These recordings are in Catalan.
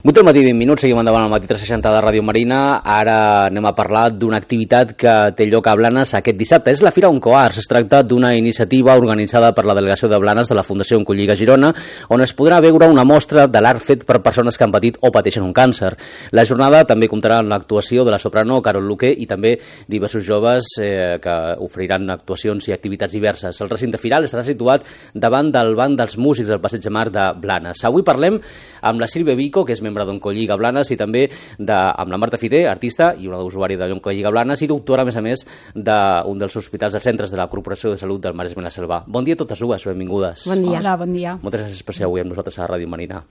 8 del matí, 20 minuts, seguim endavant al matí 360 de Ràdio Marina. Ara anem a parlar d'una activitat que té lloc a Blanes aquest dissabte. És la Fira Oncoarts. Es tracta d'una iniciativa organitzada per la Delegació de Blanes de la Fundació Oncolliga Girona, on es podrà veure una mostra de l'art fet per persones que han patit o pateixen un càncer. La jornada també comptarà amb l'actuació de la soprano Carol Luque i també diversos joves que oferiran actuacions i activitats diverses. El recinte firal estarà situat davant del banc dels músics del Passeig de Mar de Blanes. Avui parlem amb la Sílvia Vico, que és membre d'Oncolliga Blanes, i també amb la Marta Fité, artista i una usuària de l'Oncolliga Blanes i doctora, a més, d'un dels hospitals dels centres de la Corporació de Salut del Maresme i la Selva. Bon dia a totes dues, benvingudes. Bon dia. Hola, bon dia. Moltes gràcies per ser avui amb nosaltres a Ràdio Marina.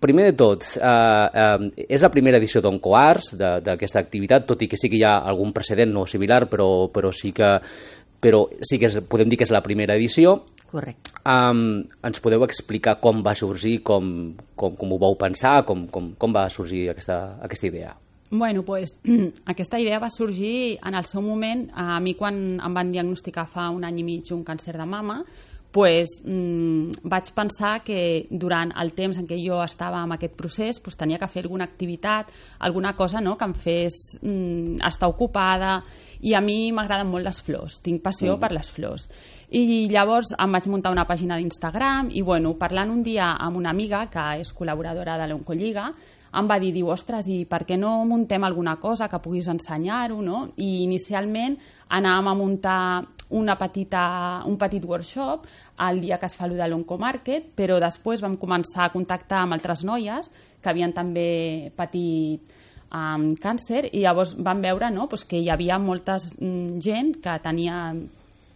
Primer de tot, és la primera edició d'Oncoarts, d'aquesta activitat, tot i que sí que hi ha algun precedent no similar, però sí que podem dir que és la primera edició. Correcte. Ens podeu explicar com va sorgir, com ho vau pensar, com va sorgir aquesta idea? Bueno, pues, aquesta idea va sorgir en el seu moment. A mi, quan em van diagnosticar fa un any i mig un càncer de mama, pues, vaig pensar que durant el temps en què jo estava en aquest procés pues, tenia que fer alguna activitat, alguna cosa, no?, que em fes estar ocupada. I a mi m'agraden molt les flors, tinc passió per les flors. I llavors em vaig muntar una pàgina d'Instagram i, bueno, parlant un dia amb una amiga que és col·laboradora de l'Oncolliga, em va dir, ostres, i per què no muntem alguna cosa que puguis ensenyar-ho, no? I inicialment anàvem a muntar un petit workshop el dia que es fa allò de l'Oncomarket, però després vam començar a contactar amb altres noies que havien també patit amb càncer i llavors vam veure, no?, pues, que hi havia molta gent que tenia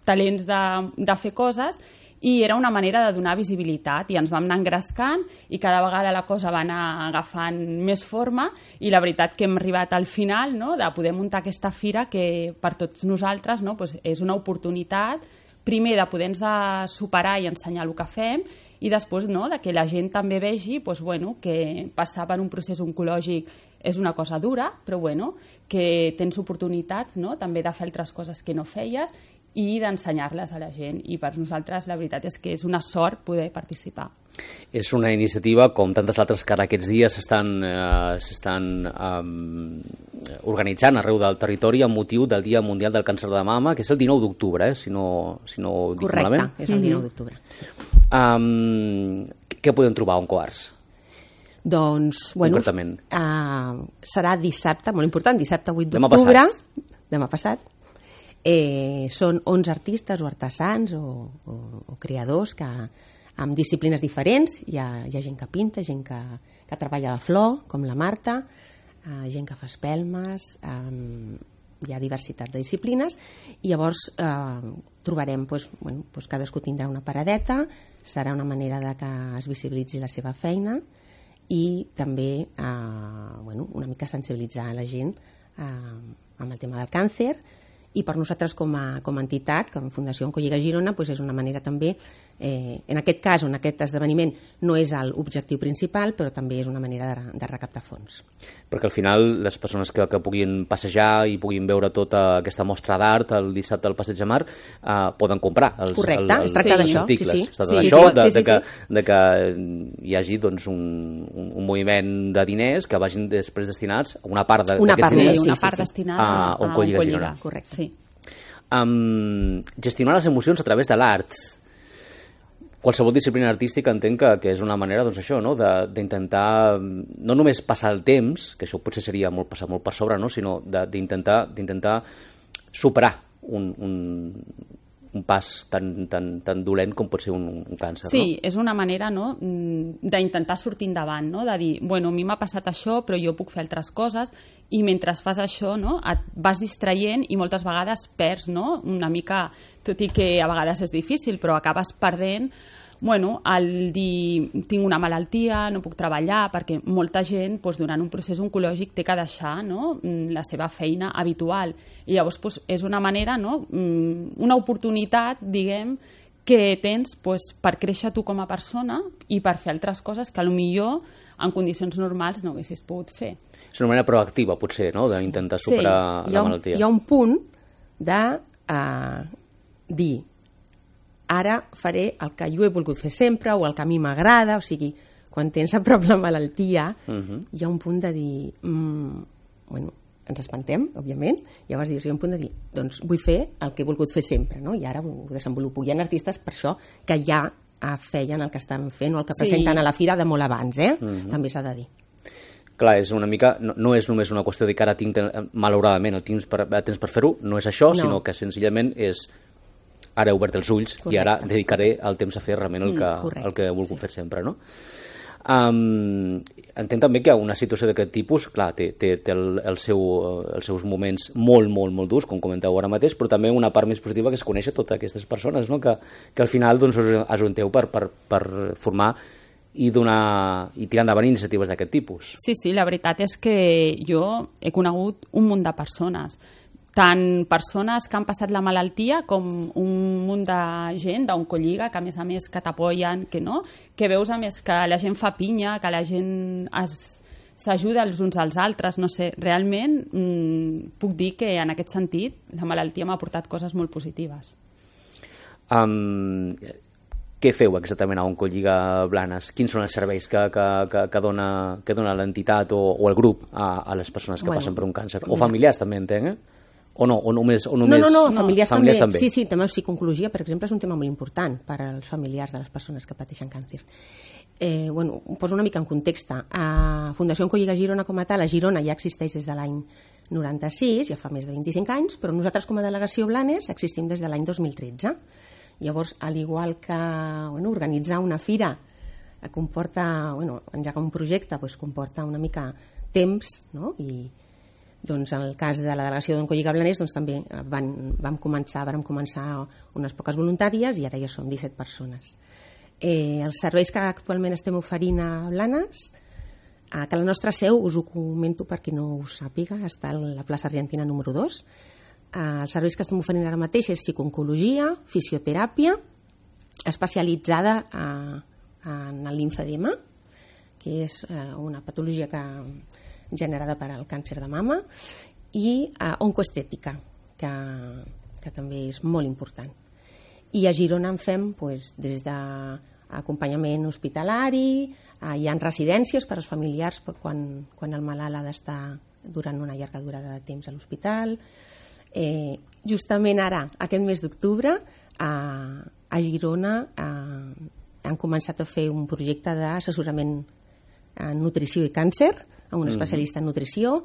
talents de fer coses i era una manera de donar visibilitat i ens vam anar engrescant i cada vegada la cosa va anar agafant més forma i la veritat que hem arribat al final, no?, de poder muntar aquesta fira que per tots nosaltres, no?, pues, és una oportunitat primer de poder-nos superar i ensenyar el que fem i després, no?, de que la gent també vegi pues, bueno, que passar per un procés oncològic és una cosa dura, però bueno, que tens oportunitats, no?, també de fer altres coses que no feies i d'ensenyar-les a la gent. I per nosaltres la veritat és que és una sort poder participar. És una iniciativa, com tantes altres que ara aquests dies s'estan organitzant arreu del territori amb motiu del Dia Mundial del Càncer de Mama, que és el 19 d'octubre, si no dic malament. Correcte, és el 19 d'octubre. Sí. Què podem trobar a Oncoarts? Doncs, bueno, serà dissabte, molt important, dissabte 8 d'octubre. Demà passat. Són 11 artistes o artesans o creadors que amb disciplines diferents. Hi ha gent que pinta, gent que treballa la flor, com la Marta, gent que fa espelmes, hi ha diversitat de disciplines i llavors trobarem, cadascú tindrà una paradeta, serà una manera de que es visibilitzi la seva feina i també una mica sensibilitzar la gent amb el tema del càncer. I per nosaltres com a entitat, com a Fundació Oncolliga Girona, és una manera també, en aquest cas, en aquest esdeveniment, no és l'objectiu principal, però també és una manera de recaptar fons. Perquè al final les persones que puguin passejar i puguin veure tota aquesta mostra d'art el dissabte al Passeig de Mar poden comprar els articles. Es tracta d'això, de que hi hagi un moviment de diners que vagin després destinats a una part d'aquests diners a Oncolliga Girona. Correcte. Sí. Gestionar les emocions a través de l'art. Qualsevol disciplina artística entenc que és una manera d'intentar no només passar el temps, que això potser seria passar molt per sobre, sinó d'intentar superar un pas tan dolent com pot ser un càncer. Sí, és una manera d'intentar sortir endavant, de dir, a mi m'ha passat això, però jo puc fer altres coses, i mentre fas això et vas distraient i moltes vegades perds una mica, tot i que a vegades és difícil, però acabes perdent el dir tinc una malaltia, no puc treballar, perquè molta gent durant un procés oncològic té que deixar la seva feina habitual i llavors és una manera, una oportunitat, diguem, que tens per créixer tu com a persona i per fer altres coses que potser en condicions normals no haguessis pogut fer. És una manera proactiva, potser, d'intentar superar la malaltia. Hi ha un punt de dir ara faré el que jo he volgut fer sempre o el que a mi m'agrada, o sigui, quan tens a prop la malaltia, hi ha un punt de dir... bueno, ens espantem, òbviament, llavors dius, hi ha un punt de dir, doncs vull fer el que he volgut fer sempre, no? I ara ho desenvolupo. Hi ha artistes, per això, que ja feien el que estan fent o el que presenten a la fira de molt abans, també s'ha de dir. Clar, és una mica, no és només una qüestió de que ara tinc, malauradament, el temps per fer-ho, no és això, sinó que senzillament és ara he obert els ulls i ara dedicaré el temps a fer realment el que he volgut fer sempre, no? Entenc també que una situació d'aquest tipus, clar, té els seus moments molt, molt, molt durs, com comenteu ara mateix, però també una part més positiva que és conèixer totes aquestes persones, no? Que al final doncs, us ajunteu per formar i tirar endavant iniciatives d'aquest tipus. Sí, la veritat és que jo he conegut un munt de persones, tant persones que han passat la malaltia com un munt de gent d'Oncolliga que a més que t'apoyen, que veus a més que la gent fa pinya, que la gent s'ajuda els uns als altres, no sé, realment puc dir que en aquest sentit la malaltia m'ha portat coses molt positives. Què feu exactament a Oncolliga Blanes? Quins són els serveis que dona l'entitat o el grup a les persones que passen per un càncer? O familiars també, entenc, O només... No, familiars també. Sí, també psicooncologia, per exemple, és un tema molt important per als familiars de les persones que pateixen càncer. Ho poso una mica en context. Fundació Oncolliga Girona com a tal, a Girona ja existeix des de l'any 96, ja fa més de 25 anys, però nosaltres com a delegació Blanes existim des de l'any 2013. Llavors, al igual que organitzar una fira comporta, engegar un projecte comporta una mica temps, no? I doncs en el cas de la delegació d'Oncolliga Blanes doncs també vam començar unes poques voluntàries i ara ja som 17 persones. Els serveis que actualment estem oferint a Blanes, que la nostra seu, us ho comento per qui no ho sàpiga, està a la plaça Argentina número 2. Els serveis que estem oferint ara mateix és psicooncologia, fisioteràpia, especialitzada en el limfedema, que és una patologia generada per al càncer de mama, i oncoestètica, que també és molt important. I a Girona en fem des d'acompanyament hospitalari, hi ha residències per als familiars quan el malalt ha d'estar durant una llarga durada de temps a l'hospital. Justament ara, aquest mes d'octubre, a Girona han començat a fer un projecte d'assessorament en nutrició i càncer, a un especialista en nutrició.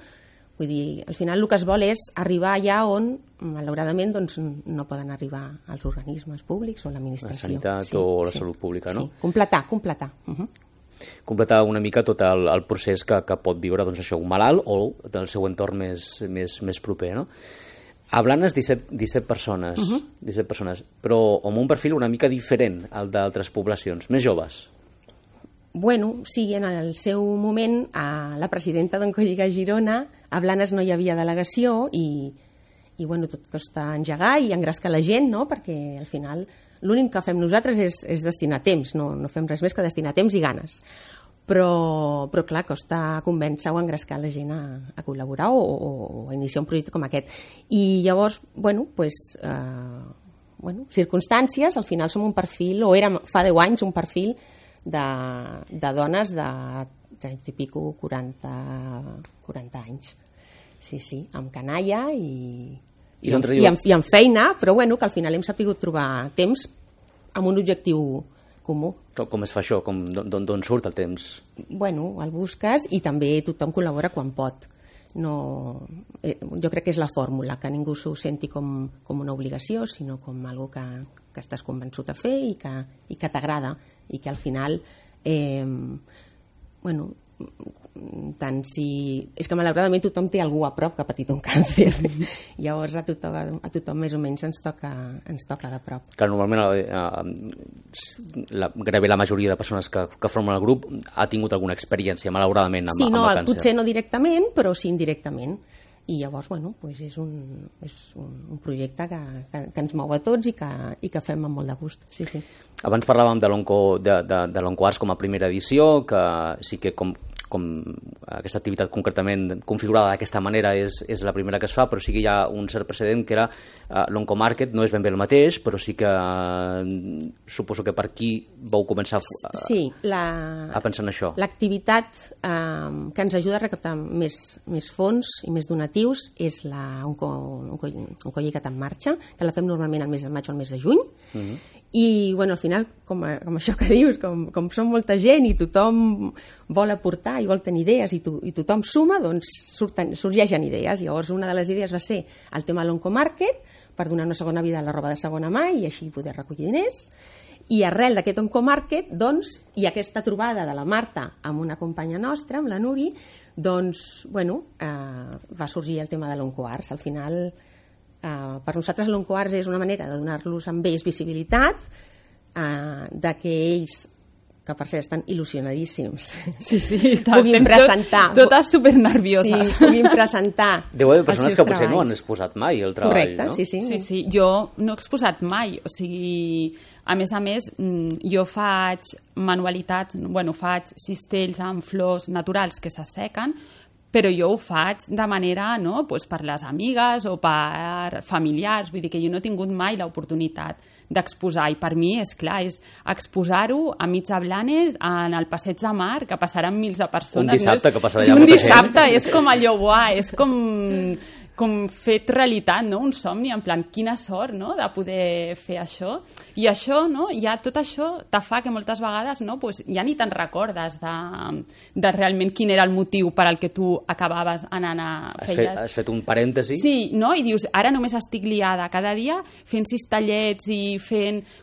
Vull dir, al final el que es vol és arribar allà on, malauradament, no poden arribar els organismes públics o l'administració. La sanitat o la salut pública, no? Sí, completar. Completar una mica tot el procés que pot viure un malalt o del seu entorn més proper, no? A Blanes 17 persones, 17 persones, però amb un perfil una mica diferent al d'altres poblacions, més joves. Sí, en el seu moment, a la presidenta d'Oncolliga Girona, a Blanes no hi havia delegació i tot costa engegar i engrescar la gent, no? Perquè al final l'únic que fem nosaltres és destinar temps, no fem res més que destinar temps i ganes. Però clar, costa convèncer o engrescar la gent a col·laborar o a iniciar un projecte com aquest. I llavors, circumstàncies, al final som un perfil, o érem fa 10 anys un perfil de dones de 30 i pico, 40 anys. Sí, amb canalla i amb feina, però que al final hem sabut trobar temps amb un objectiu comú. Com es fa això? D'on surt el temps? El busques i també tothom col·labora quan pot. Jo crec que és la fórmula, que ningú s'ho senti com una obligació, sinó com algo que estàs convençut a fer i que t'agrada, i que al final és que malauradament tothom té algú a prop que ha patit un càncer. Llavors a tothom més o menys ens toca de prop. Clar, normalment gairebé la majoria de persones que formen el grup ha tingut alguna experiència malauradament amb el càncer. Potser no directament, però sí indirectament. I llavors, és un projecte que ens mou a tots i que fem amb molt de gust. Sí. Abans parlàvem de l'OncoArts com a primera edició, que sí que com com aquesta activitat concretament configurada d'aquesta manera és la primera que es fa, però sí que hi ha un cert precedent que era l'Oncomarket, no és ben bé el mateix, però sí que suposo que per aquí vau començar a pensar en això. L'activitat que ens ajuda a recaptar més fons i més donatius és l'Oncollicat en marxa, que la fem normalment al mes de maig o al mes de juny, i al final, com això que dius, com som molta gent i tothom vol aportar i vol tenir idees i tothom suma, doncs sorgeixen idees. Llavors una de les idees va ser el tema de l'Oncomarket, per donar una segona vida a la roba de segona mà i així poder recollir diners. I arrel d'aquest Oncomarket, doncs, i aquesta trobada de la Marta amb una companya nostra, amb la Nuri, doncs, va sorgir el tema de l'Oncoarts. Al final, per nosaltres l'Oncoarts és una manera de donar-los amb ells visibilitat, de que ells, que per cert estan il·lusionadíssims, puguin presentar... Totes supernervioses. Sí, puguin presentar... Deu haver persones que potser no han exposat mai el treball, correcte, no? Sí, jo no he exposat mai, o sigui... A més, jo faig manualitats, faig cistells amb flors naturals que s'assequen, però jo ho faig de manera, per les amigues o per familiars, vull dir que jo no he tingut mai l'oportunitat d'exposar, i per mi, és clar, és exposar-ho a mig de Blanes, en el Passeig de Mar, que passaran mils de persones. Un dissabte que passarà allà molta gent. Un dissabte, és com allò, és com fet realitat, no? Un somni, en plan, quina sort, no?, de poder fer això. I això, ja tot això te fa que moltes vegades, ja ni te'n recordes de realment quin era el motiu per al que tu acabaves anant a fer. Has fet un parèntesi? Sí, no? I dius, ara només estic liada cada dia fent cistellets i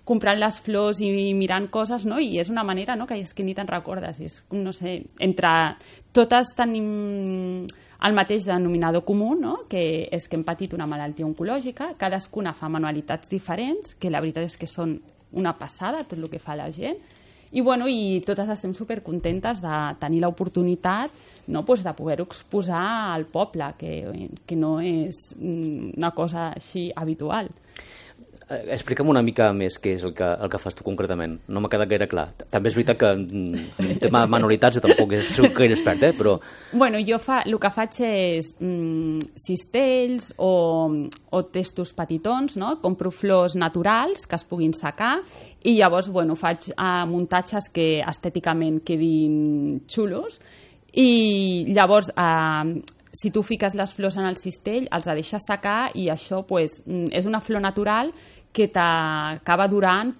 comprant les flors i mirant coses, no? I és una manera, no?, que és que ni te'n recordes. És, no sé, entre totes tenim el mateix denominador comú, no?, que és que hem patit una malaltia oncològica, cadascuna fa manualitats diferents, que la veritat és que són una passada tot el que fa la gent, i totes estem supercontentes de tenir l'oportunitat, no?, de poder-ho exposar al poble, que no és una cosa així habitual. Explica'm una mica més què és el que fas tu concretament. No m'ha quedat gaire clar. També és veritat que en tema de manualitats tampoc és gaire expert, però... Jo el que faig és cistells o testos petitons, no? Compro flors naturals que es puguin secar i llavors faig muntatges que estèticament quedin xulos i llavors... si tu fiques les flors en el cistell, els deixes secar i això és una flor natural que t'acaba durant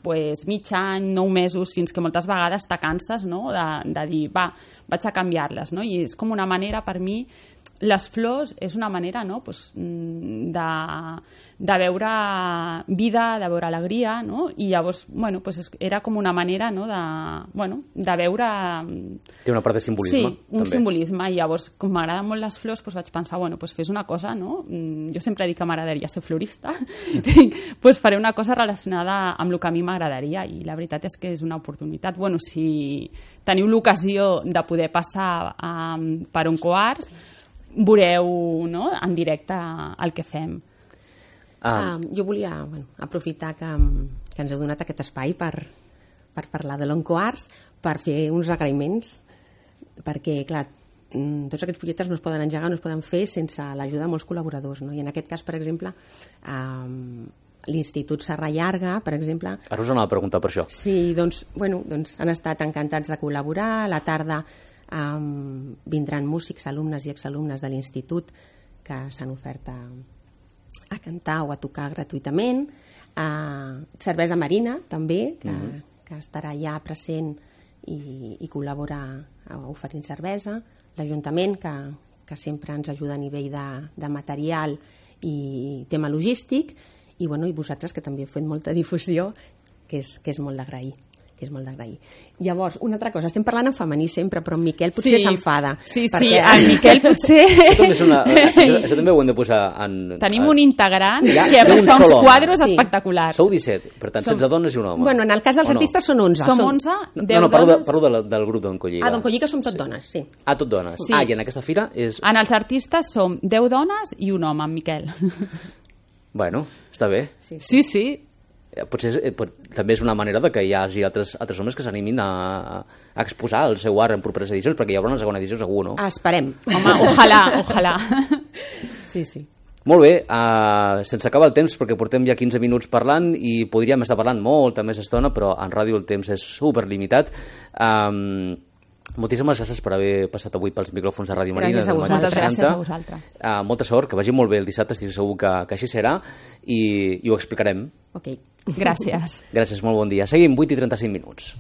mig any, 9 mesos, fins que moltes vegades te canses, no?, de dir, vaig a canviar-les, no? I és com una manera, per mi, les flors és una manera, no?, de veure vida, de veure alegria, no? I llavors, era com una manera, no?, de veure... Té una part de simbolisme, també. Sí, un simbolisme, i llavors, com m'agraden molt les flors, vaig pensar, fes una cosa, no? Jo sempre dic que m'agradaria ser florista, faré una cosa relacionada amb el que a mi m'agradaria, i la veritat és que és una oportunitat. Si teniu l'ocasió de poder passar per Oncoarts, veureu, no?, en directe el que fem. Jo volia aprofitar que ens heu donat aquest espai per parlar de l'Oncoarts, per fer uns agraïments, perquè, clar, tots aquests projectes no es poden engegar, no es poden fer sense l'ajuda de molts col·laboradors, no? I en aquest cas, per exemple, l'Institut Serra Llarga, per exemple... Ara us anava a preguntar per això. Sí, doncs han estat encantats de col·laborar. A la tarda vindran músics, alumnes i exalumnes de l'Institut que s'han ofert a cantar o a tocar gratuïtament. Cervesa Marina, també, que estarà ja present i col·labora oferint cervesa. L'Ajuntament, que sempre ens ajuda a nivell de material i tema logístic, i vosaltres, que també heu fet molta difusió, que és molt d'agrair. Llavors, una altra cosa, estem parlant en femení sempre, però en Miquel potser s'enfada. Sí, el Miquel potser... Això també ho hem de posar en... Tenim un integrant que fa uns quadres espectaculars. Sou 17, per tant, 16 dones i un home. En el cas dels artistes són 11. Som 11, 10 dones... Parlo del grup d'Oncolliga. D'Oncolliga som tot dones, sí. Tot dones. I en aquesta fira és... En els artistes som 10 dones i un home, en Miquel. Bueno, està bé. Sí. potser també és una manera de que hi hagi altres homes que s'animin a exposar el seu art en properes edicions, perquè hi haurà una segona edició segur, no? Esperem. Home, ojalà. Sí. Molt bé, se'ns acaba el temps perquè portem ja 15 minuts parlant i podríem estar parlant molta més estona, però en ràdio el temps és superlimitat. Moltíssimes gràcies per haver passat avui pels micròfons de Ràdio Marina. Gràcies a vosaltres. Molta sort, que vagi molt bé el dissabte, estic segur que així serà i ho explicarem. Ok. Gràcies. Gràcies, molt bon dia. Seguim, 8:35.